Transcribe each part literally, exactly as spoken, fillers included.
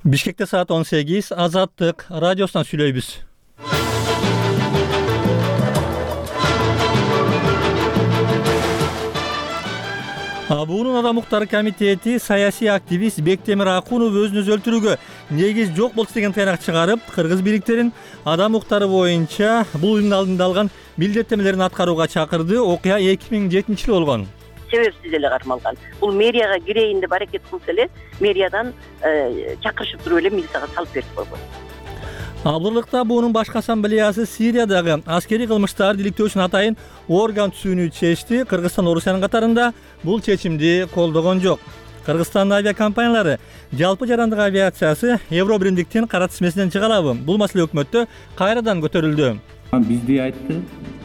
Бишкекте саат он сегиз. Азаттык радиосунан сүйлөйбүз. Буунун Адам укуктары комитети саясий активист Бектемир Акунов өзүн өзү өлтүрүүгө негиз жок болчу деген тыйнак чыгарып, кыргыз бийликтерин адам укуктары боюнча бул уюмдун алдында алган милдеттенмелерин аткарууга чакырды. Окуя эки миң жетинчи жылы болгон. Себепсиз эле кармалган. Бул мэрияга кирейин деп аракет кылса эле мэриядан чакырышып туруп эле милицияга салып берип койгон. Абдылыкта буунун башкы ассамблеясы Сириядагы аскерий кылмыштарды иликтөө үчүн атайын орган түзүүнү чечти. Кыргызстан Орусиянын катарында бул чечимди колдогон жок. Кыргызстандын авиакомпаниялары жалпы жарандык авиациясы Евро биримдиктин кара тизмесинен чыга алабы? Бул маселе өкмөттө кайрадан көтөрүлдү. Бизди айтты,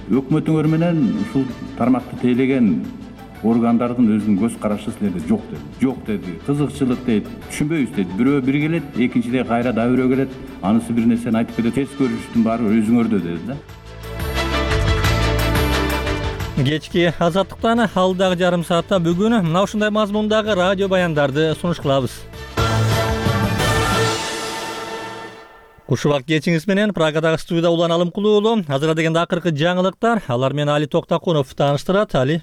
өкмөтүңөр менен ушул тармакты тейлеген органдардын өзүнүн көз карашы силерде жок деди. Жок деди. Кызыкчылык дейт. Түшүнбөйбүз дейт. Бирөө бир келет, экинчиде кайра да бирөө келет. Анысы бир нерсени айтып кетет. Терс көрүштүн баары өзүңөрдө деди да. Кечки азаттыктан алдагы жарым саатта бүгүн мына ушундай мазмундагы радио баяндарды сунуш кылабыз. Куш убак кечиңиз менен Прагадагы студияда Улан Алымкулуу уулу. Азыр дегенде акыркы жаңылыктар. Алар менен Али Токтакунов тааныштырат. Али.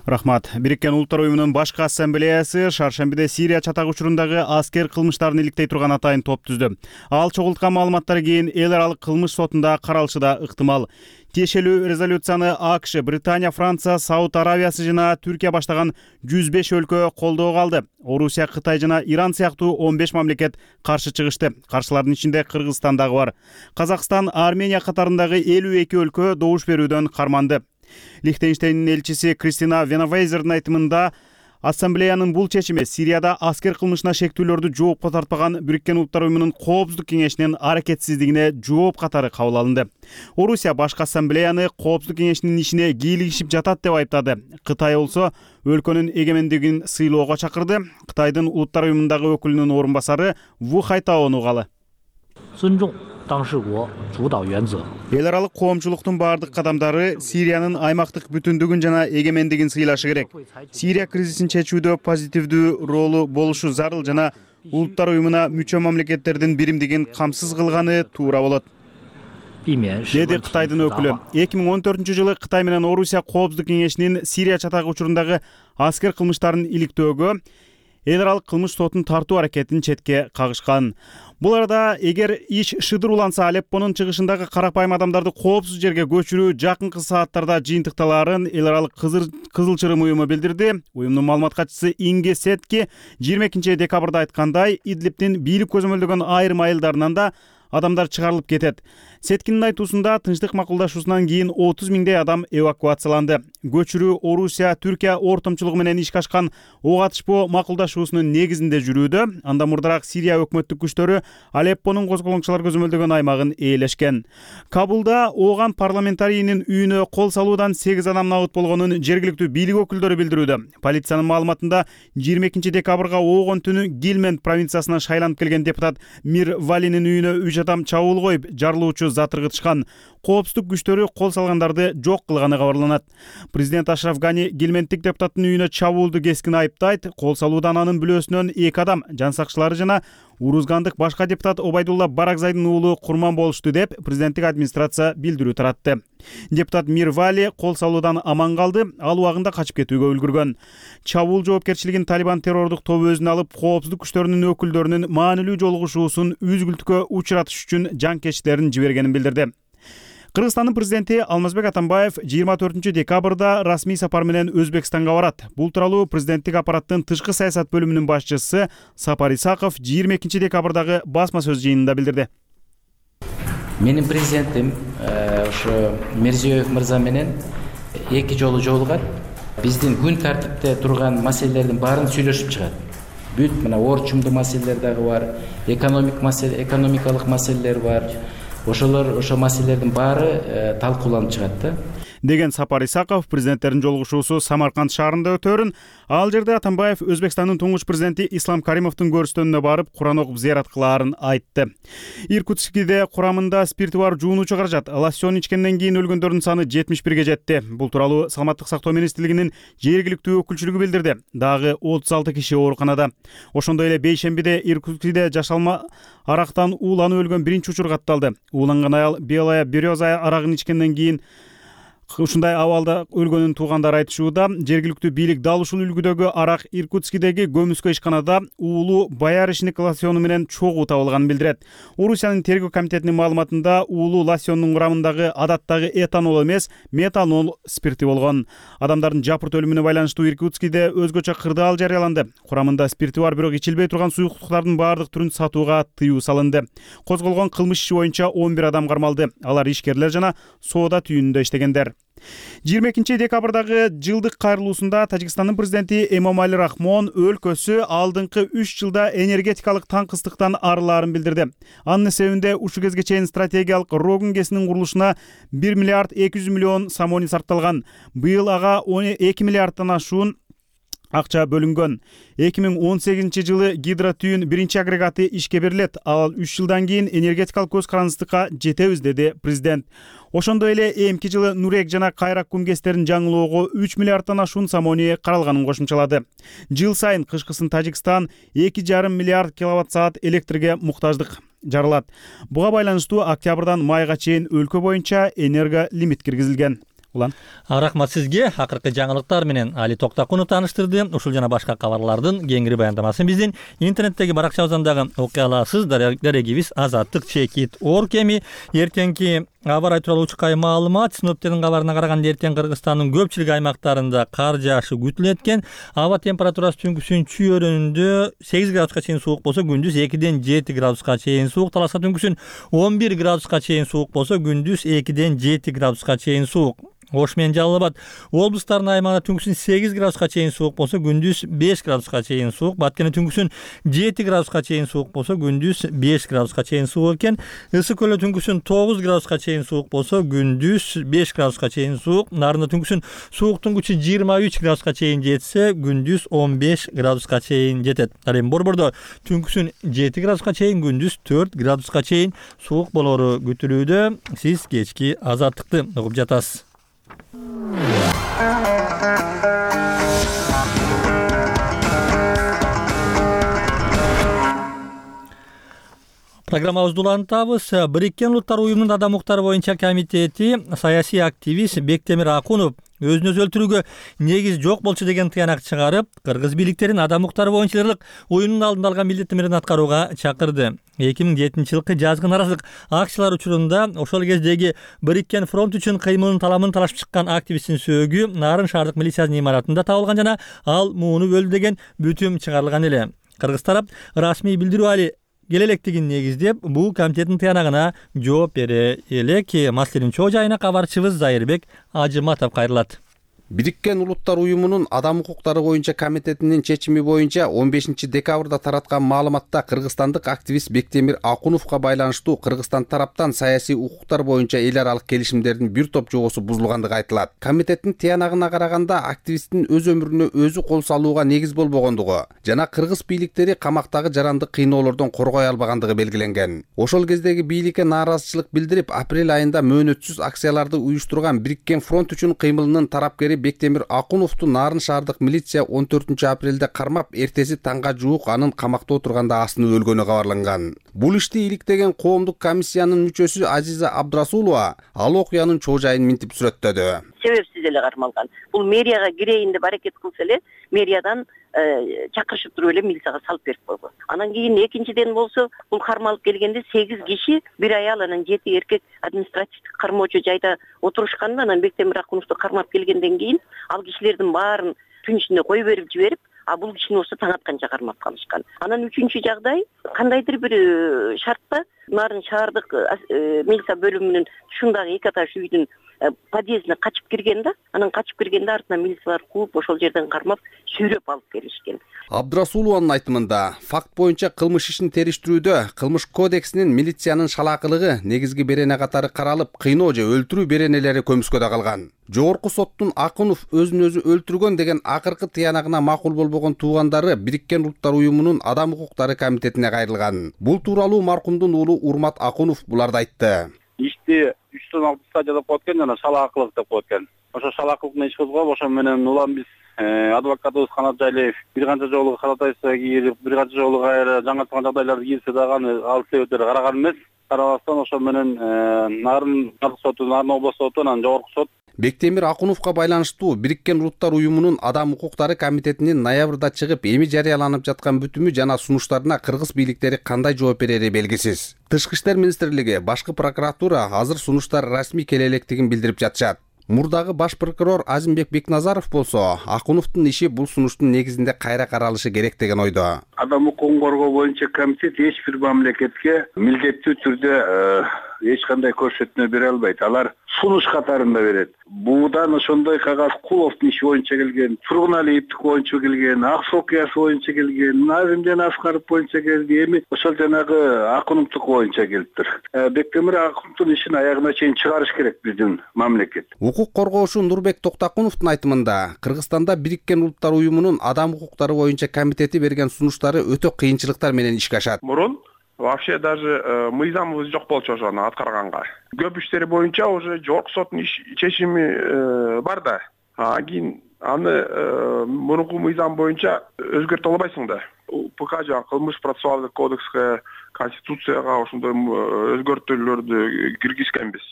Рахмат. Бириккен Улуттар уюмунун башкы ассамблеясы шаршембиде Сирия чатак учурундағы аскер кылмыштарын иликтей турган атайын топ түздү. Ал чогулткан маалыматтар кийин эл аралык кылмыш сотунда каралышы да ыктымал. Тиешелүү резолюцияны АКШ, Британия, Франция, Сауд Аравиясы жана Түркия баштаган жүз беш өлкө колдоого алды. Орусия, Кытай жана Иран сыяктуу он беш мамлекет каршы чыгышты. Каршылардын ичинде Кыргызстан дагы бар. Казакстан, Армения катарындагы элүү эки өлкө добуш берүүдөн карманды. Лихтенштейндин элчиси Кристина Венавейзердин айтымында ассамблеянын бул чечими Сирияда аскер кылмышына шектүүлөрдү жоопко тартпаган Бириккен Улуттар уюмунун коопсуздук кеңешинин аракетсиздигине жооп катары кабыл алынды. Орусия башкы ассамблеяны коопсуздук кеңешинин ишине кийлигишип жатат деп айыптады. Кытай болсо өлкөнүн эгемендигин сыйлоого чакырды. Кытайдын Улуттар уюмундагы өкүлүнүн орун басары Ву Хайтаонун угалы. Эл аралык коомчулуктун бардык кадамдары Сириянын аймактык бүтүндүгүн жана эгемендигин сыйлашы керек. Сирия кризисин чечүүдө позитивдүү ролу болушу зарыл жана Улуттар уюмуна мүчө мамлекеттердин биримдигин камсыз кылганы туура болот, деди Кытайдын өкүлү. эки миң он төртүнчү жылы Кытай менен Орусия коопсуздук кеңешинин Сирия чатак учурундагы аскер кылмыштарын иликтөөгө эл аралык кылмыш сотун тартуу аракетин четке кагышкан. Бул арада эгер иш шыдыр уланса, Алеппонун чыгышындагы карапайым адамдарды коопсуз жерге көчүрүү жакынкы сааттарда жыйынтыкталаарын эл аралык Кызыл Чырым уюму билдирди. Уюмдун маалымат катчысы Инге Сетки жыйырма экинчи декабрда айткандай, Идлибтин бийлик көзөмөлдөгөн айрым айылдарынан да адамдар чыгарылып кетет. Сеткинин айтуусунда тынчтык макулдашуусунан кийин отуз миңдей адам эвакуацияланды. Көчүрүү Орусия, Түркия ортомчулугу менен ишке ашкан ок атышпоо макулдашуусунун негизинде жүрүүдө. Анда мурдараак Сирия өкмөттүк күчтөрү Алеппонун козголоңчулар көзөмөлдөгөн аймагын ээлешкен. Кабулда ооган парламентарийнин үйүнө кол салуудан сегиз адам набыт болгонун жергиликтүү бийлик өкүлдөрү билдирүүдө. Полициянын маалыматында жыйырма экинчи декабрга оогон түнү Гилмент провинциясынан шайланып келген депутат Мир Валинин үйүнө үч адам чабуул коюп, жарылуучу зат ыргытышкан. Коопсуздук күчтөрү кол салгандарды жок кылганы кабарланат. Президент Ашраф Гани Гилменттик депутаттын үйүнө чабуулду кескин айыптайт. Кол салуудан анын бүлөөсүнөн эки адам, жан сакчылары жана Урузгандык башка депутат Обайдулла Баракзайдын уулу курман болушту деп президенттик администрация билдирүү таратты. Депутат Мир Вали кол салуудан аман калды, ал убагында качып кетүүгө үлгүргөн. Чабуул жоопкерчилигин Талибан террордук тобу өзүнө алып, коопсуздук күчтөрүнүн өкүлдөрүнүн маанилүү жолугушуусун үзгүлтүккө учуратыш үчүн жанкечтилерин жибергенин билдирди. Кыргызстандын президенти Алмазбек Атамбаев жыйырма төртүнчү декабрда расмий сапар менен Өзбекстанга барат. Бул тууралуу президенттик аппараттын тышкы саясат бөлүмүнүн башчысы Сапар Исаков жыйырма экинчи декабрдагы басма сөз жыйынында билдирди. Менин президентим ошо Мирзиёев мырза менен эки жолу жолугат. Биздин күн тартипте турган маселелердин баарын сүйлөшүп чыгат. Бүт мына орчумдуу маселелер дагы бар, экономик маселе, экономикалык маселелер бар. Ошолор ошо маселелердин баары талкууланып чыгат да. деген Сапар Исаков президенттердин жолугушуусу Самарканд шаарында өтөөрүн, ал жерде Атамбаев Өзбекстандын туңгуч президенти Ислам Каримовдун көрүстөнүнө барып Куран окуп зыярат кылаарын айтты. Иркутскиде курамында спирти бар жуунуучу каражат лосьон ичкенден кийин өлгөндөрдүн саны жетимиш бирге жетти. Бул тууралуу Саламаттык сактоо министрлигинин жергиликтүү өкүлчүлүгү билдирди. Дагы отуз алты киши ооруканада. Ошондой эле бейшембиде Иркутскиде жашалма арактан ууланып өлгөн биринчи учур катталды. Ууланган аял Белая Береза арагын ичкенден кийин ушундай абалда өлгөнүн туугандары айтышууда. Жергиликтүү бийлик дал ушул үлгүдөгү арак Иркутскидеги көмүскө ишканада уулуу баяришник лосьону менен чогуу табылганын билдирет. Орусиянын тергөө комитетинин маалыматында уулуу лосьондун курамындагы адаттагы этанол эмес, метанол спирти болгон. Адамдардын жапырт өлүмүнө байланыштуу Иркутскиде өзгөчө кырдаал жарыяланды. Курамында спирти бар, бирок ичилбей турган суюктуктардын баардык түрүн сатууга тыюу салынды. Козголгон кылмыш иши боюнча он бир адам кармалды. Алар ишкерлер жана соода түйүнүндө иштегендер. жыйырма экинчи декабрдагы жылдык кайрылуусунда Тажикстандын президенти Эмомали Рахмон өлкөсү алдыңкы үч жылда энергетикалык таңкыстыктан арылаарын билдирди. Анын себебинде ушул кезге чейин стратегиялык Рогун КЭСинин курулушуна бир миллиард эки жүз миллион сомони сарпталган. Быйыл ага эки миллиарддан ашуун акча бөлүнгөн. эки миң он сегизинчи жылы гидротүйүн биринчи агрегаты ишке берилет. Ал үч жылдан кийин энергетикалык көз карандыкка жетебиз, деди президент. Ошондой эле эмки жылы Нурек жана Кайрак кумкестерин жаңылоого үч миллиарддан ашуун сомони каралганын кошумчалады. Жыл сайын кышкысын Тажикстан эки жарым миллиард киловатт саат электрге муктаждык жаралат. Буга байланыштуу октябрдан майга чейин өлкө боюнча энерго лимит киргизилген. Улан. Рахмат сизге. Акыркы жаңылыктар менен Али Токтакунов тааныштырды. Ушул жана башка кабарлардын кеңири баяндамасын биздин интернеттеги баракчабыздан дагы окуй аласыз. Дарегибиз азаттык чекит орг. Эми эртеңки аба ырайы тууралуу учкай маалымат. Синоптиктердин кабарына караганда эртең Кыргызстандын көпчүлүк аймактарында кар жаашы күтүлөт экен. Аба температурасы түнкүсүн чүйөрүндө сегиз градуска чейин суук болсо, күндүз экиден жети градуска чейин суук. Таласта түнкүсүн он бир градуска чейин суук болсо, күндүз экиден жети градуска чейин суук. Ош менен Жалал Абад облустарынын аймагында түнкүсүн сегиз градуска чейин суук болсо, күндүз беш градуска чейин суук. Баткенде түнкүсүн жети градуска чейин суук болсо, күндүз беш градуска чейин суук экен. Ысык көлдө түнкүсүн тогуз градуска чейин суук болсо, күндүз беш градуска чейин суук. Нарында түнкүсүн сууктун күчү жыйырма үч градуска чейин жетсе, күндүз он беш градуска чейин жетет. Ал эми Борбордо түнкүсүн жети градуска чейин, күндүз төрт градуска чейин суук болору күтүлүүдө. Сиз кечки азаттыкты угуп жатасыз. Программабызды улантабыз. Бириккен Улуттар уюмунун адам укуктары боюнча комитети саясий активист Бектемир Акунов өзүн өзү өлтүрүүгө негиз жок болчу деген тыянак чыгарып, кыргыз бийликтерин адам укуктары боюнча ырлык уюмдун алдында алган милдеттерин аткарууга чакырды. эки миң жетинчи жылкы жазгы нааразылык акциялар учурунда ошол кездеги Бириккен фронт үчүн кыймылын таламын талашып чыккан активисттин сөөгү Нарын шаардык милициянын имаратында табылган жана ал муунуп өлдү деген бүтүм чыгарылган эле. Кыргыз тарап расмий билдирүү али келелектигин негиздеп, бул комитеттин тыянагына жооп бере элек. Маселенин чоо жайына кабарчыбыз Зайырбек Ажыматов кайрылат. Бириккен Улуттар уюмунун адам укуктары боюнча комитетинин чечими боюнча он бешинчи декабрда тараткан маалыматта кыргызстандык активист Бектемир Акуновго байланыштуу Кыргызстан тараптан саясий укуктар боюнча эл аралык келишимдердин бир топ жобосу бузулгандыгы айтылат. Комитеттин тыянагына караганда активисттин өз өмүрүнө өзү кол салууга негиз болбогондугу жана кыргыз бийликтери камактагы жаранды кыйноолордон коргой албагандыгы белгиленген. Ошол кездеги бийликке нааразычылык билдирип, апрель айында мөөнөтсүз акцияларды уюштурган Бириккен фронт үчүн кыймылынын тарапкери Бектемир Акуновду Нарын шаардык милиция он төртүнчү апрелде кармап, эртеси таңга жуук анын камакта отурганда асынып өлгөнү кабарланган. Бул ишти иликтеген коомдук комиссиянын мүчөсү Азиза Абдрасулова ал окуянын чоо жайын минтип сүрөттөдү. Себепсиз эле кармалган. Бул мэрияга кирейин деп аракет кылса эле, мэриядан чакырышып туруп эле милицияга салып берип койгон. Анан кийин экинчиден болсо, бул кармалып келгенде сегиз киши, бир аял, анан жети эркек административдик кармоочу жайда отурушканда, анан Бектемир Акуновду кармап келгенден кийин ал кишилердин баарын түн ичинде кое берип жиберип, а бул кишини болсо таң атканча кармап калышкан. Анан үчүнчү жагдай, кандайдыр бир шартта Нарын шаардык милиция бөлүмүнүн ушундагы эки этаж үйдүн подъездине качып кирген да, анан качып киргенде артынан милициялар кууп ошол жерден кармап сүйрөп алып келишкен. Абдрасулованын айтымында, факт боюнча кылмыш ишин териштирүүдө кылмыш кодексинин милициянын шалаакылыгы, негизги берене катары каралып, кыйноо же өлтүрүү беренелери көмүскөдө калган. Жогорку соттун Акунов өзүн өзү өлтүргөн деген акыркы тыянагына макул болбогон туугандары Бириккен Улуттар уюмунун Адам укуктары комитетине кайрылган. Бул тууралуу маркумдун уулу Урмат Акунов буларды айтты. Ишти үчтөн алты стадия деп коет экен, жана шалаакылык деп коет экен. Ошо шалаакылыктын иш козгоп, ошо менен улам биз адвокатыбыз Канат Жайлиев бир канча жолу каратайса кирип, бир канча жолу кайра жаңырткан жагдайларды кирсе дагы аны ал себептери караган эмес. Карабастан ошо менен Нарын соту, Нарын областык соту, анан жогорку сот Бектемир Акуновго байланыштуу Бириккен Улуттар уюмунун Адам укуктары комитетинин ноябрда чыгып, эми жарыяланып жаткан бүтүмү жана сунуштарына кыргыз бийликтери кандай жооп берери белгисиз. Тышкы иштер министрлиги, башкы прокуратура азыр сунуштар расмий келе электигин билдирип жатышат. Мурдагы баш прокурор Азимбек Бекназаров болсо, Акуновдун иши бул сунуштун негизинде кайра каралышы керек деген ойдо. Адам укугун коргоо боюнча комитет эч бир мамлекетке милдеттүү түрдө эч кандай көрсөтмө бере албайт. Алар сунуш катарында берет. Буудан ошондой кагаз Куловдун иши боюнча келген, Тургуналиевдики боюнча келген, Аксы окуясы боюнча келген, Назимжан Аскаров боюнча келди, эми ошол жанагы Акуновдук боюнча келиптир. Бектемир Акуновдун ишин аягына чейин чыгарыш керек биздин мамлекет. Укук коргоочу Нурбек Токтакуновдун айтымында, Кыргызстанда Бириккен Улуттар уюмунун Адам укуктары боюнча комитети берген сунуштары өтө кыйынчылыктар менен ишке ашат. Мурун вообще даже мыйзамыбыз жок болчу ошону аткарганга. Көп иштери боюнча уже жогорку соттун чечими бар да. А кийин аны мурунку мыйзам боюнча өзгөртө албайсың да. УК жана кылмыш процессуалдык кодекске, конституцияга ошондой өзгөртүүлөрдү киргизгенбиз.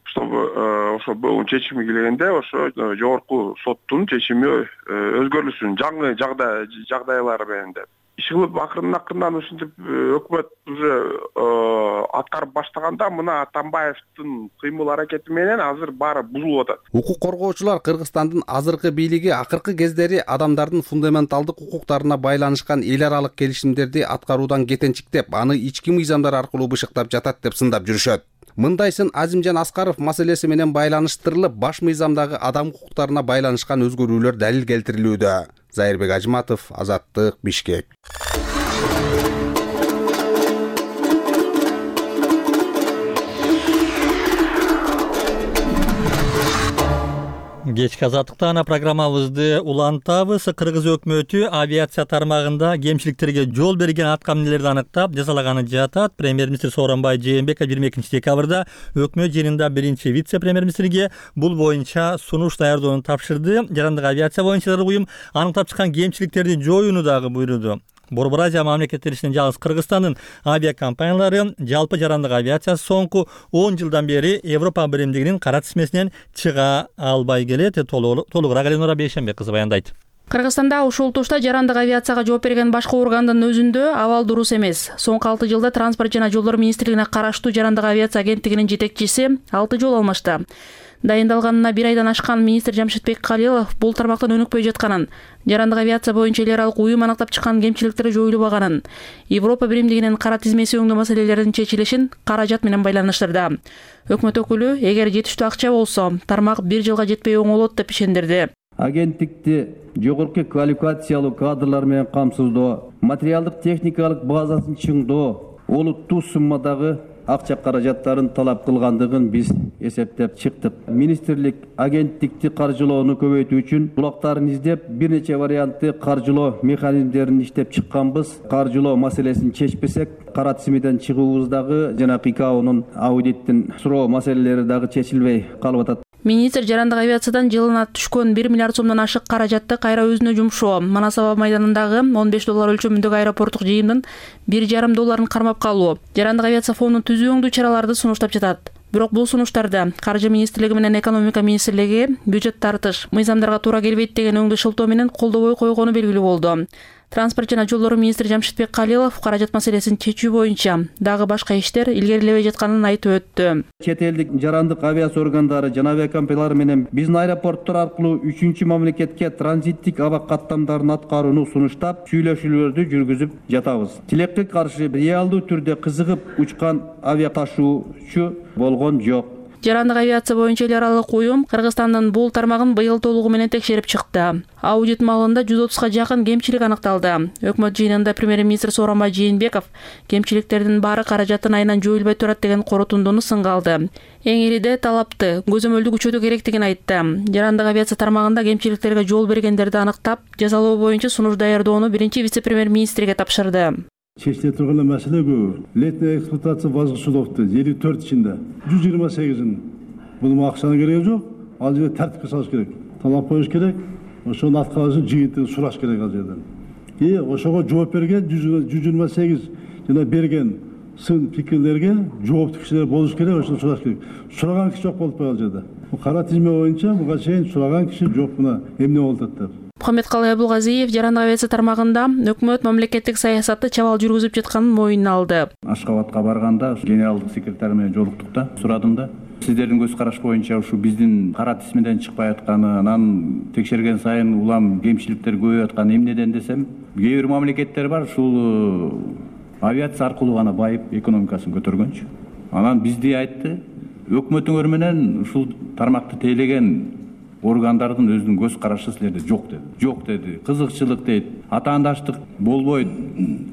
Чтобы ошо бул чечими келгенде ошо жогорку соттун чечими өзгөрүлсүн жаңы жагдай жагдайлар менен деп. Иш кылып акырын акырынан ушинтип өкмөт уже аткарып баштаганда мына Атамбаевдин кыймыл аракети менен азыр баары бузулуп атат. Укук коргоочулар Кыргызстандын азыркы бийлиги акыркы кездери адамдардын фундаменталдык укуктарына байланышкан эл аралык келишимдерди аткаруудан кетенчиктеп, аны ички мыйзамдар аркылуу бышыктап жатат деп сындап жүрүшөт. Мындайсын Азимжан Аскаров маселеси менен байланыштырылып, баш мыйзамдагы адам укуктарына байланышкан өзгөрүүлөр далил келтирилүүдө. Зайырбек Ажматов, Азаттык, Бишкек. Кечки азаттыктан программабызды улантабыз. Кыргыз өкмөтү авиация тармагында кемчиликтерге жол берген аткаминелерди аныктап, жазалаганы жатат. Премьер-министр Сооронбай Жээнбеков жыйырма экинчи декабрда өкмөт жыйынында биринчи вице-премьер-министрге бул боюнча сунуш даярдоону тапшырды. Жарандык авиация боюнча уюм аныктап чыккан кемчиликтерди жоюуну дагы буйруду. Борбор Азия мамлекеттери ичинен жалгыз Кыргызстандын авиакомпаниялары жалпы жарандык авиациясы соңку он жылдан бери Европа биримдигинин кара тизмесинен чыга албай келет. Толугураак Эленора Бейшенбек кызы баяндайт. Кыргызстанда ушул тушта жарандык авиацияга жооп берген башкы органдын өзүндө абал дурус эмес. Соңку алты жылда Транспорт жана жолдор министрлигине караштуу жарандык авиация агенттигинин жетекчиси алты жолу алмашты. Дайындалганына бир айдан ашкан министр Жамшитбек Калилов бул тармактан өнүкпөй жатканын, жарандык авиация боюнча эл аралык уюм аныктап чыккан кемчиликтер жоюлбаганын, Европа биримдигинин кара тизмеси өңдүү маселелердин чечилишин каражат менен байланыштырды. Өкмөт өкүлү эгер жетиштүү акча болсо, тармак бир жылга жетпей оңолот деп ишендирди. Агенттикти жогорку квалификациялуу кадрлар менен камсыздоо, материалдык техникалык базасын чыңдоо, олуттуу суммадагы акча каражаттарын талап кылгандыгын биз эсептеп чыктык. Министрлик агенттикти каржылоону көбөйтүү үчүн булактарын издеп, бир нече вариантты каржылоо механизмдерин иштеп чыкканбыз. Каржылоо маселесин чечпесек, кара тизмеден чыгуубуздагы жана ИКАОнун аудиттин суроо маселелери дагы чечилбей калып атат. Министр жарандык авиациядан жылына түшкөн бир миллиард сомдон ашык каражатты кайра өзүнө жумшоо, Манас аба майданындагы он беш доллар өлчөмүндөгү аэропорттук жыйымдын бир жарым долларын кармап калуу, жарандык авиация фондун түзүү өңдүү чараларды сунуштап жатат. Бирок бул сунуштарда Каржы министрлиги менен Экономика министрлиги бюджет тартыш, мыйзамдарга туура келбейт деген өңдүү шылтоо менен колдобой койгону белгилүү болду. Транспорт жана жолдор министри Жамшитбек Калилов каражат маселесин чечүү боюнча дагы башка иштер илгерилебей жатканын айтып өттү. Чет элдик жарандык авиация органдары жана авиакомпаниялар менен биздин аэропорттор аркылуу үчүнчү мамлекетке транзиттик аба каттамдарын аткарууну сунуштап, сүйлөшүүлөрдү жүргүзүп жатабыз. Тилекке каршы реалдуу түрдө кызыгып учкан авиа ташуучу болгон жок. Жарандык авиация боюнча эл аралык уюм Кыргызстандын бул тармагын быйыл толугу менен текшерип чыкты. Аудит маалында жүз отузга жакын кемчилик аныкталды. Өкмөт жыйынында премьер-министр Сооронбай Жээнбеков кемчиликтердин баары каражаттын айынан жоюлбай турат деген корутундуну сынга алды. Эң ириде талапты көзөмөлдү күчөтүү керектигин айтты. Жарандык авиация тармагында кемчиликтерге жол бергендерди аныктап, жазалоо боюнча сунуш даярдоону биринчи вице-премьер-министрге тапшырды. Чечиле турган маселе көп. Летняя эксплуатация базгы судовду элүү төрт ичинде жүз жыйырма сегизин бунун акчанын кереги жок. Ал жерде тартипке салыш керек. Талап коюш керек. Ошонун аткарышын жыйынтыгын сураш керек ал жерден. И ошого жооп берген жүз жыйырма сегиз жана берген сын пикирлерге жооптуу кишилер болуш керек, ошону сураш керек. Сураган киши жок болуп калган жерде. Кара тизме боюнча буга чейин сураган киши жок, мына эмне болуп атат деп. Мухаммедкалый Абулгазиев жарандык авиация тармагында өкмөт мамлекеттик саясатты чабал жүргүзүп жатканын моюнуна алды. Ашкабадка барганда генералдык секретарь менен жолуктук да, сурадым да. Сиздердин көз караш боюнча ушу биздин кара тизмеден чыкпай атканы, анан текшерген сайын улам кемчиликтер көбөйүп атканы эмнеден десем, кээ бир мамлекеттер бар, ушул авиация аркылуу гана байып экономикасын көтөргөнчү. Анан бизди айтты, өкмөтүңөр менен ушул тармакты тейлеген органдардын өзүнүн көз карашы силерде жок деди. Жок деди. Кызыкчылык дейт. Атаандаштык болбойт.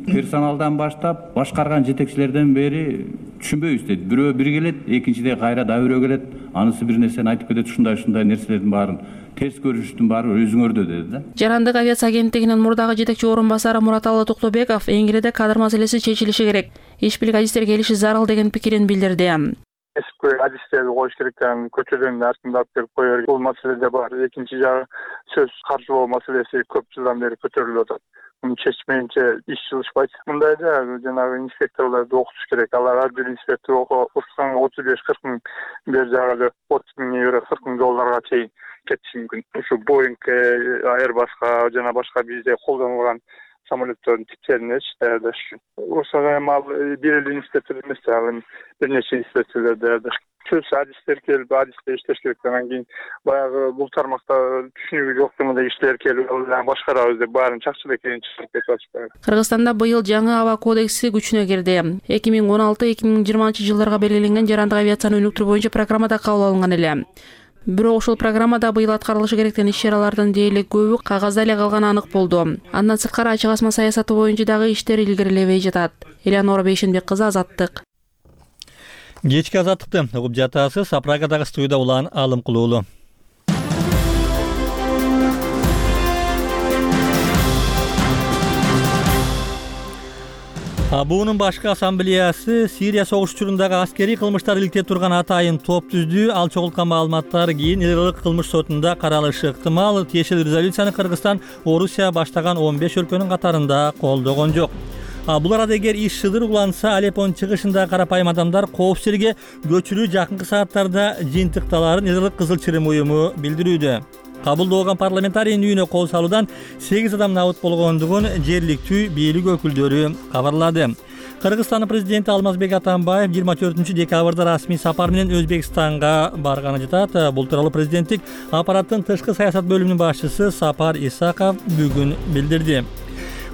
Персоналдан баштап башкарган жетекчилерден бери түшүнбөйбүз дейт. Бирөө бир келет, экинчиде кайра да бирөө келет, анысы бир нерсени айтып кетет, ушундай-ушундай нерселердин баарын терс көрүштүн баары өзүңөрдө деди да. Жарандык авиация агенттигинин мурдагы жетекчи орун басары Мураталы Токтобеков эң ириде кадр маселеси чечилиши керек. Иш бийлик адистер келиши зарыл деген пикирин билдирди. Эске адистерди коюш керек экен, көчөдөн артында алып келип кое берет. Бул маселеде бар. Экинчи жагы сөз каржылоо маселеси көп жылдан бери көтөрүлүп атат. Муну чечмейинче иш жылышпайт. Мындайда жанагы инспекторлорду окутуш керек. Алар ар бир инспектор окутсаң отуз беш кырк миң, бер жагы отуз миң евро, кырк миң долларга чейин кетиши мүмкүн. Ушу Боинг, Airbus'ка жана башка бизде колдонулган самолеттердин типтерин даярдаш үчүн. Ошого эми ал бир эле инспектор эмес, ал бир нече инспекторлор даярдаш. Сөз адистер келип, адисте иштеш керек. Анан кийин баягы бул тармакта түшүнүгү жоктугунда кишилер келип, алар башкарабыз деп баарын чакчылап экенин чыгарып кетип атышпайбы. Кыргызстанда быйыл жаңы аба кодекси күчүнө кирди. эки миң он алты эки миң жыйырманчы жылдарга белгиленген жарандык авиацияны өнүктүрүү боюнча программада кабыл алынган эле. Бирок ошол программада быйыл аткарылышы керек деген иш-чаралардын дээрлик көбү кагазда эле калганы анык болду. Андан сырткары ачык асма саясаты боюнча дагы иштер илгерилебей жатат. Элеонора Бейшенбек кызы, Азаттык. Кечки Азаттыкты угуп жатасыз. Апрагадагы студияда улан Алым Кулуулу. Буунун башкы ассамблеясы Сирия согуш учурундагы аскерий кылмыштар иликтеп турган атайын топ түздү. Ал чогулткан маалыматтар кийин эл аралык кылмыш сотунда каралышы ыктымал. Тиешелүү резолюцияны Кыргызстан, Орусия баштаган он беш өлкөнүн катарында колдогон жок. Бул арада эгер иш шыдыр уланса, Алеппонун чыгышындагы карапайым адамдар коопсуздукка көчүрүү жакынкы сааттарда жыйынтыкталарын эл аралык Кызыл Чырым уюму билдирүүдө. Кабылдооган парламентарийдин үйүнө кол салуудан сегиз адам набыт болгондугун жергиликтүү бийлик өкүлдөрү кабарлады. Кыргызстандын президенти Алмазбек Атамбаев жыйырма төртүнчү декабрда расмий сапар менен Өзбекстанга барганы жатат. Бул тууралуу президенттик аппараттын тышкы саясат бөлүмүнүн башчысы Сапар Исаков бүгүн билдирди.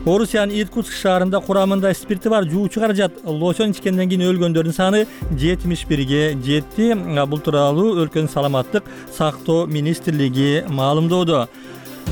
Орусиянын Иркутск шаарында курамында спирти бар жуучу каражат лосьон ичкенден кийин өлгөндөрдүн саны жетимиш бирге жетти. Бул тууралуу өлкөнүн саламаттык сактоо министрлиги маалымдоодо.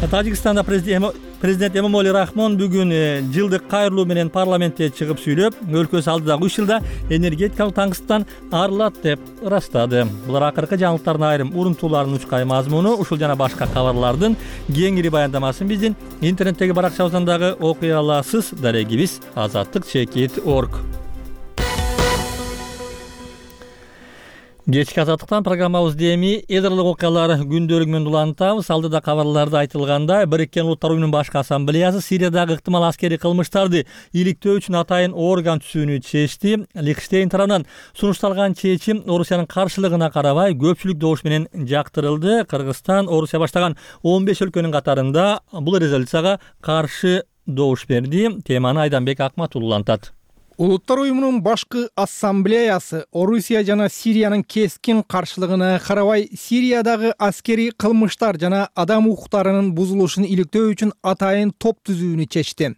Тажикстанда президент Президент Эмомали Рахмон бүгүн жылдык кайрылуу менен парламентте чыгып сүйлөп, өлкөсү алдыдагы үч жылда энергетикалык таңсыктан арылат деп ырастады. Булар акыркы жаңылыктардын айрым урунтууларынын учкай мазмуну. Ушул жана башка кабарлардын кеңири баяндамасын биздин интернеттеги баракчабыздан дагы окуй аласыз. Дарегибиз азаттык чекит точка орг. Кечки Азаттыктан программабызды эми эл аралык окуялар күндөлүгү менен улантабыз. Алдыда кабарларда айтылгандай, Бириккен Улуттар уюмунун башкы ассамблеясы Сириядагы ыктымал аскерий кылмыштарды иликтөө үчүн атайын орган түзүүнү чечти. Лихтенштейн тарабынан сунушталган чечим Орусиянын каршылыгына карабай көпчүлүк добуш менен жактырылды. Кыргызстан, Орусия баштаган он беш өлкөнүн катарында бул резолюцияга каршы добуш берди. Теманы Айданбек Акматуллу улантат. Улуттар уюмунун башкы ассамблеясы Орусия жана Сириянын кескин каршылыгына карабай Сириядагы аскерий кылмыштар жана адам укуктарынын бузулушун иликтөө үчүн атайын топ түзүүнү чечти.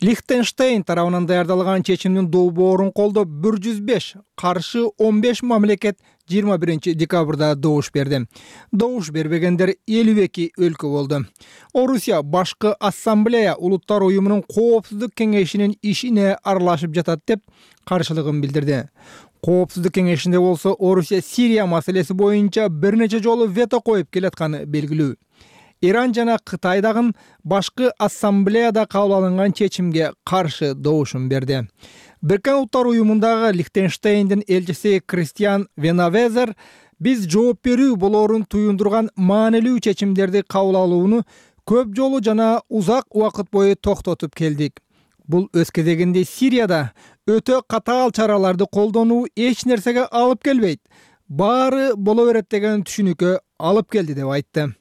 Лихтенштейн тарабынан даярдалган чечимдин долбоорун колдоп бир жүз беш, каршы он беш мамлекет жыйырма биринчи декабрда добуш берди. Добуш бербегендер элүү эки өлкө болду. Орусия башкы ассамблея улуттар уюмунун коопсуздук кеңешинин ишине аралашып жатат деп каршылыгын билдирди. Коопсуздук кеңешинде болсо Орусия Сирия маселеси боюнча бир нече жолу вето коюп келатканы белгилүү. Иран жана Кытай дагы башкы ассамблеяда кабыл алынган чечимге каршы добушун берди. Бириккен Улуттар уюмундагы Лихтенштейндин элчиси Кристиан Венавезер биз жооп берүү болоорун туюндурган маанилүү чечимдерди кабыл алууну көп жолу жана узак убакыт бою токтотуп келдик. Бул өз кезегинде Сирияда өтө катаал чараларды колдонуу эч нерсеге алып келбейт, баары боло берет деген түшүнүккө алып келди деп айтты.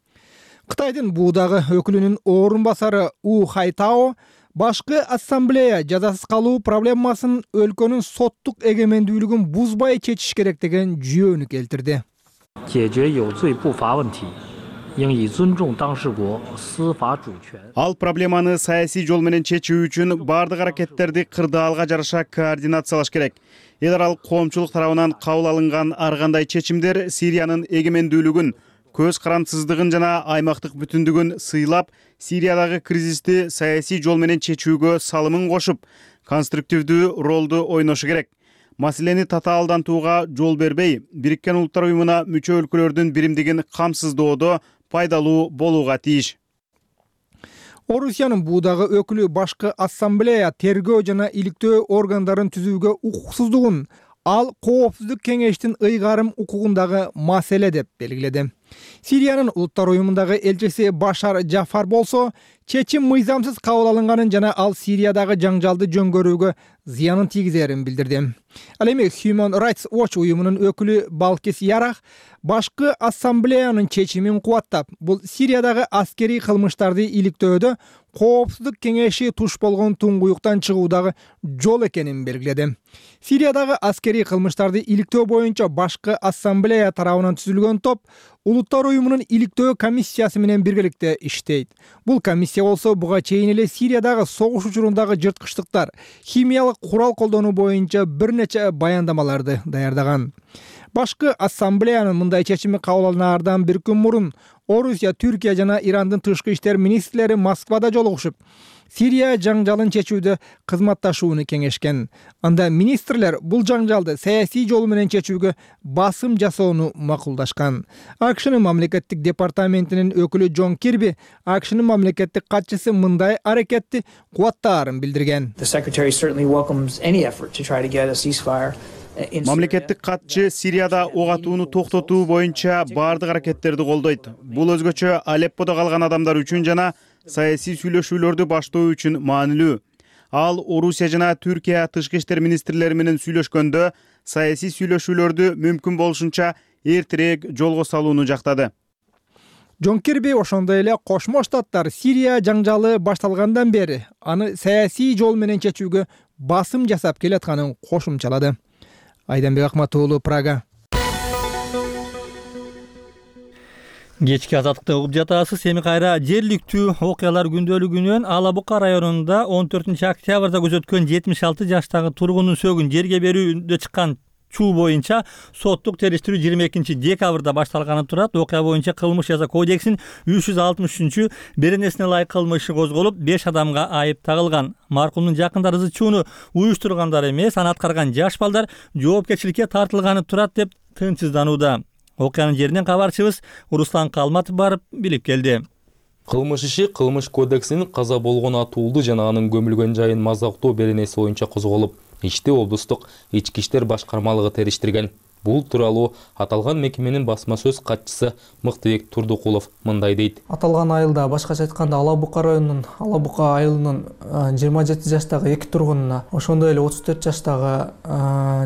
Кытайдын буудагы өкүлүнүн орун басары У Хайтао башкы ассамблея жазасыз калуу проблемасын өлкөнүн соттук эгемендүүлүгүн бузбай чечиш керек деген жүйөнү келтирди. Ал проблеманы саясий жол менен чечүү үчүн бардык аракеттерди кырдаалга жараша координациялаш керек. Эл аралык коомчулук тарабынан кабыл алынган ар кандай чечимдер Сириянын эгемендүүлүгүн, көз карандысыздыгын жана аймактык бүтүндүгүн сыйлап, Сириядагы кризисти саясий жол менен чечүүгө салымын кошуп, конструктивдүү ролду ойношу керек. Маселени татаалдантууга жол бербей, Бириккен Улуттар уюмуна мүчө өлкөлөрдүн биримдигин камсыздоодо пайдалуу болууга тийиш. Орусиянын буудагы өкүлү башкы ассамблея тергөө жана иликтөө органдарын түзүүгө укуксуздугун, ал коопсуздук кеңештин ыйгарым укугундагы маселе деп белгиледи. Сириянын Улуттар уюмундагы элчиси Башар Жафар болсо, чечим мыйзамсыз кабыл алынган жана ал Сириядагы жаңжалды жөнгөрүүгө зыянын тийгизерин билдирди. Ал эми Human Rights Watch уюмунун өкүлү Балкис Ярах башкы ассамблеянын чечимин кубаттап, бул Сириядагы аскерий кылмыштарды иликтөөдө коопсуздук кеңеши туш болгон туңгуюктан чыгуудагы жол экенин белгиледи. Сириядагы аскерий кылмыштарды иликтөө боюнча башкы ассамблея тарабынан түзүлгөн топ Улуттар уюмунун иликтөө комиссиясы менен биргеликте иштейт. Бул комиссия болсо буга чейин эле Сириядагы согуш учурундагы жырткычтыктар, химиялык курал колдонуу боюнча бир нече баяндамаларды даярдаган. Башкы ассамблеянын мындай чечими кабыл алынаардан бир күн мурун Орусия, Түркия жана Ирандын тышкы иштер министрлери Москвада жолугушуп, Сирия жаңжалын чечүүдө кызматташууну кеңешкен. Анда министрлер бул жаңжалды саясий жол менен чечүүгө басым жасоону макулдашкан. АКШнын мамлекеттик департаментинин өкүлү Джон Кирби АКШнын мамлекеттик катчысы мындай аракетти кубаттаарын билдирген. Мамлекеттик катчы Сирияда ок атууну токтотуу боюнча бардык аракеттерди колдойт. Бул өзгөчө Алепподо калган адамдар үчүн жана саясий сүйлөшүүлөрдү баштоо үчүн маанилүү. Ал Орусия жана Түркия тышкы иштер министрлери менен сүйлөшкөндө саясий сүйлөшүүлөрдү мүмкүн болушунча эртерээк жолго салууну жактады. Джон Кирби ошондой эле Кошмо Штаттар Сирия жаңжалы башталгандан бери аны саясий жол менен чечүүгө басым жасап келатканын кошумчалады. Айданбек Акматуулу, Прага. Кечки азаттыкты угуп жатасыз. Эми кайра жергиликтүү окуялар күндөлүгүнөн Ала Бука районунда он төртүнчү октябрда көзөткөн жетимиш алты жаштагы тургундун сөөгүн жерге берүүндө чыккан чуу боюнча соттук териштирүү жыйырма экинчи декабрда башталганы турат. Окуя боюнча кылмыш жаза кодексинин үч жүз алтымыш үчүнчү беренесине ылайык кылмышы козголуп, беш адамга айып тагылган. Маркумдун жакындары чууну уюштургандар эмес, аны аткарган жаш балдар жоопкерчиликке тартылганы турат деп тынчсызданууда. Окуянын жеринен кабарчыбыз Руслан Калматов барып билип келди. Кылмыш иши кылмыш кодексинин каза болгон атуулду жана анын көмүлгөн жайын мазактоо беренеси боюнча козголуп, ишти облустук ички иштер башкармалыгы териштирген. Бул тууралуу аталган мекеменин басма сөз катчысы Мыктыбек Турдукулов мындай дейт. Аталган айылда, башкача айтканда, Ала Бука районунун Ала Бука айылынын жыйырма жети жаштагы эки тургунуна, ошондой эле отуз төрт жаштагы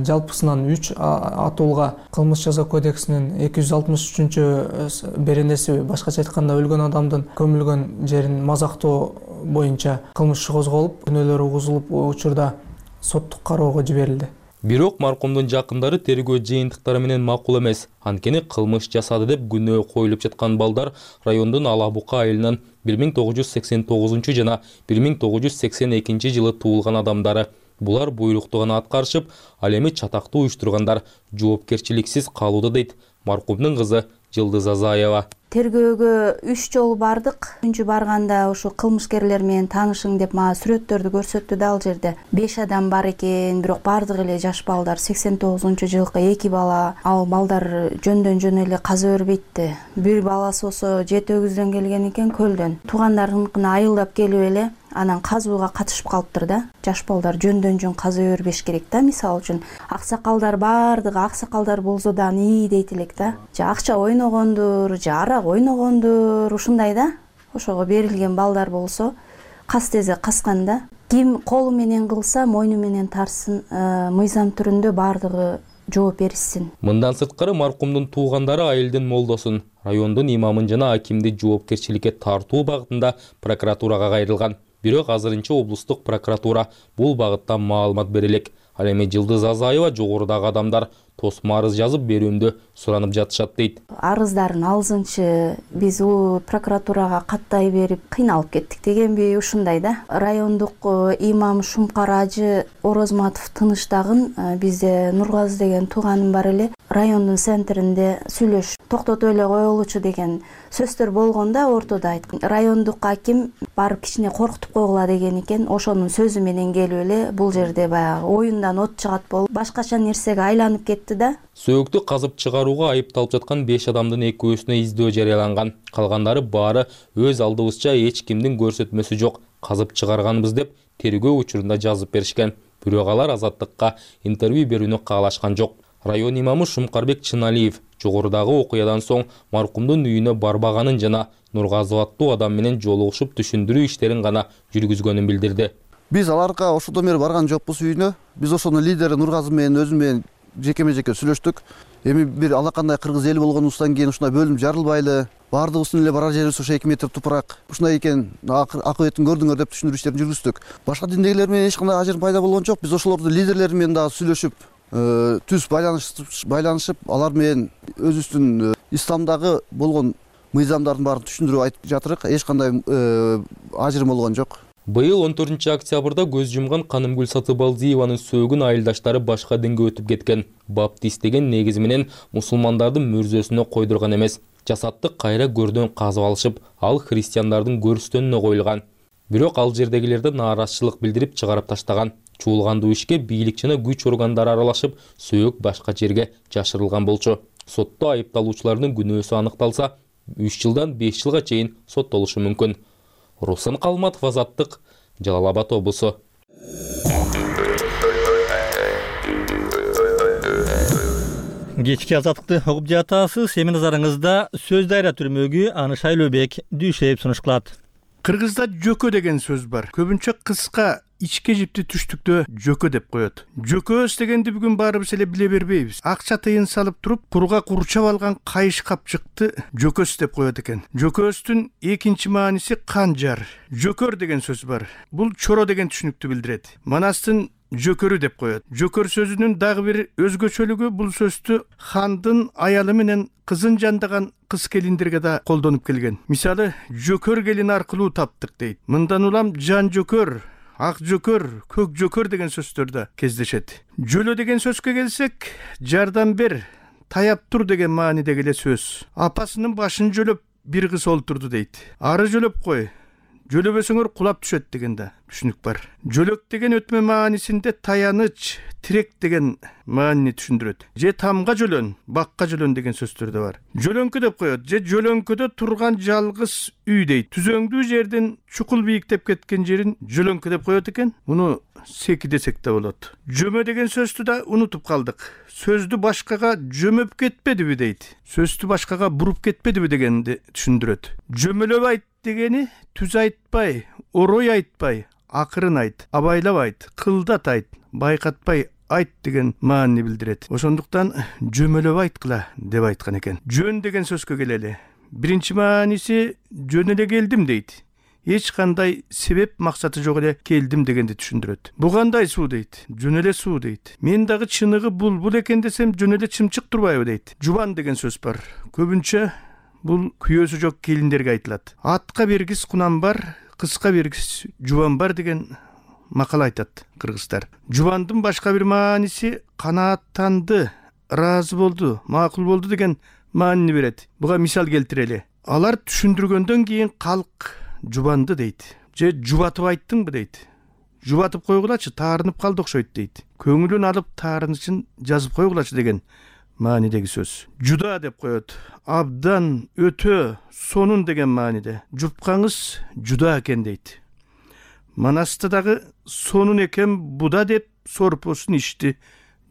жалпысынан үч атуулга кылмыш жаза кодексинин эки жүз алтымыш үчүнчү беренеси, башкача айтканда, өлгөн адамдын көмүлгөн жерин мазактоо боюнча кылмыш козголуп, күнөөлөр угузулуп, учурда соттук кароого жиберилди. Бирок маркумдун жакындары тергөө жыйынтыктары менен макул эмес. Анткени кылмыш жасады деп күнөө коюлуп жаткан балдар райондун Ала Бука айылынын бир миң тогуз жүз сексен тогузунчу жана бир миң тогуз жүз сексен экинчи жылы туулган адамдары. Булар буйрукту гана аткарышып, ал эми чатакты уюштургандар жоопкерчиликсиз калууда дейт маркумдун кызы Жылдыз Азаева. Тергөөгө үч жолу бардык. Үчүнчү барганда ошо кылмышкерлер менен таанышың деп мага сүрөттөрдү көрсөттү да, ал жерде беш адам бар экен, бирок бардыгы эле жаш балдар. сексен тогузунчу жылкы эки бала, ал балдар жөндөн жөн эле каза бербейтти. Бир баласы болсо жети өгүздөн келген экен, көлдөн. Туугандарыныкына айылдап келип эле анан казууга катышып калыптыр да. Жаш балдар жөндөн жөн каза бербеш керек да, мисалы үчүн. Аксакалдар бардыгы аксакалдар болсо да ии дейт элек да. Же акча ойногондур, же арак ойногондур, ушундай да. Ошого берилген балдар болсо кас тезе каскан да. Ким колу менен кылса мойну менен тарсын, мыйзам түрүндө бардыгы жооп беришсин. Мындан сырткары маркумдун туугандары айылдын молдосун, райондун имамын жана акимди жоопкерчиликке тартуу багытында прокуратурага кайрылган. Бирок азырынча облустук прокуратура бул багытта маалымат бере элек. Ал эми Жылдыз Азаева жогорудагы адамдар тосмо арыз жазып берүүмдү суранып жатышат дейт. Арыздарын алзынчы биз у прокуратурага каттай берип кыйналып кеттик дегенби, ушундай да. Райондук имам Шумкар Ажы Орозматов тыныштагын бизде Нургазы деген тууганым бар эле. Райондун центринде сүйлөш токтотуп эле коелучу деген сөздөр болгондо ортодо айткан. Райондук аким барып кичине коркутуп койгула деген экен. Ошонун сөзү менен келип эле бул жерде баягы оюндан от чыгат болуп башкача нерсеге айланып кетти да. Сөөктү казып чыгарууга айыпталып жаткан беш адамдын экөөсүнө издөө жарыяланган. Калгандары баары өз алдыбызча эч кимдин көрсөтмөсү жок, казып чыгарганбыз деп тергөө учурунда жазып беришкен. Бирок алар азаттыкка интервью берүүнү каалашкан жок. Район имамы Шумкарбек Чыналиев жогорудагы окуядан соң маркумдун үйүнө барбаганын жана Нургазы аттуу адам менен жолугушуп түшүндүрүү иштерин гана жүргүзгөнүн билдирди. Биз аларга ошодон бери барган жокпуз үйүнө. Биз ошонун лидери Нургазы менен өзүм менен жекеме жеке сүйлөштүк. Эми бир алакандай кыргыз эли болгонубуздан кийин ушундай бөлүнүп жарылбайлы, баардыгыбыздын эле барар жерибиз ошо эки метр тупурак. Ушундай экен, акыбетін көрдүңөр деп түшүндүрүү иштерин жүргүздүк. Башка диндегилер менен эч кандай ажырым пайда болгон жок. Биз ошолордун лидерлери менен дагы сүйлөшүп, түз байланышып, алар менен өзүбүздүн исламдагы болгон мыйзамдардын баарын түшүндүрүп айтып жатырык. Эч кандай ажырым болгон жок. Быйыл он төртүнчү октябрда көз жумган Канымгүл Сатыбалдиеванын сөөгүн айылдаштары башка динге өтүп кеткен. Баптист деген негизи менен мусулмандардын мүрзөсүнө койдурган эмес. Жасатты кайра көрдөн казып алышып, ал христиандардын көрүстөнүнө коюлган. Бирок ал жердегилерде нааразычылык билдирип чыгарып таштаган. Чуулгандуу ишке бийлик жана күч органдары аралашып, сөөк башка жерге жашырылган болчу. Сотто айыпталуучулардын күнөөсү аныкталса, үч жылдан беш жылга чейин соттолушу мүмкүн. Руслан Калматов, Азаттык, Жалал Абад облусу. Кечки Азаттыкты угуп жатасыз. Эми назарыңызда сөз дайра түрмөгү аны Шайлообек Дүйшеев сунуш кылат. Кыргызда жөкө деген сөз бар. Көбүнчө кыска ичке жипти түштүктө жөкө деп коет. Жөкөс дегенди бүгүн баарыбыз эле биле бербейбиз. Акча тыйын салып туруп, курга курчап алган кайыш капчыкты жөкөс деп коет экен. Жөкөстүн экинчи мааниси канжар. Жөкөр деген сөз бар. Бул чоро деген түшүнүктү билдирет. Манастын жөкөрү деп коет. Жөкөр сөзүнүн дагы бир өзгөчөлүгү бул сөздү хандын аялы менен кызын жандаган кыз келиндерге да колдонуп келген. Мисалы, жөкөр келин аркылуу таптык дейт. Мындан улам жан жөкөр, ак жөкөр, көк жөкөр деген сөздөр да кездешет. Жөлө деген сөзгө келсек, жардам бер, таяп тур деген маанидеги эле сөз. Апасынын башын жөлөп бир кыз олтурду дейт. Ары жөлөп кой, жөлөбөсөңөр кулап түшөт деген да түшүнүк бар. Жөлөк деген өтмө маанисинде таяныч, тирек деген маанини түшүндүрөт. Же тамга жөлөн, бакка жөлөн деген сөздөр да бар. Жөлөңкү деп коет, же жөлөңкөдө турган жалгыз үй дейт. Түзөңдүү жерден чукул бийиктеп кеткен жерин жөлөңкү деп коет экен. Муну секи десек да болот. Жөмө деген сөздү да унутуп калдык. Сөздү башкага жөмөп кетпедиби дейт. Сөздү башкага буруп кетпедиби дегенди түшүндүрөт. Жөмөлөп айт дегени түз айтпай, орой айтпай, акырын айт, абайлап айт, кылдат айт, байкатпай айт деген маанини билдирет. Ошондуктан жөмөлөп айткыла деп айткан экен. Жөн деген сөзгө келели. Биринчи мааниси жөн эле келдим дейт. эч кандай себеп максаты жок эле келдим дегенди түшүндүрөт. Бу кандай суу дейт? Жөн эле суу дейт. Мен дагы чыныгы булбул экен десем жөн эле чымчык турбайбы дейт. Жубан деген сөз бар. Көбүнчө бул күйөөсү жок келиндерге айтылат. Атка бергис кунам бар, кызга бергис жубан бар деген макал айтат кыргыздар. Жубандын башка бир мааниси канааттанды, ыраазы болду, макул болду деген маанини берет. Буга мисал келтирели. Алар түшүндүргөндөн кийин калк жубанды дейт. Же жубатып айттыңбы дейт. Жубатып койгулачы, таарынып калды окшойт дейт. Көңүлүн алып таарынычын жазып койгулачы деген маанидеги сөз. Жуда деп коет. Абдан, өтө, сонун деген мааниде. Жупкаңыз жуда экен дейт. Манаста дагы сонун экен буда деп сорпосун ичти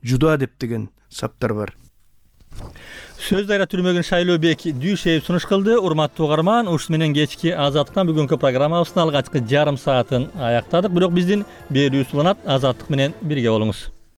жуда деп деген саптар бар. Сөз дайра түрмөгүн Шайлообек Дүйшеев сунуш кылды. Урматтуу угарман, ушун менен кечки Азаттыктан бүгүнкү программабыздын алгачкы жарым саатын аяктадык. Бирок биздин берүүбүз уланат. Азаттык менен бирге болуңуз.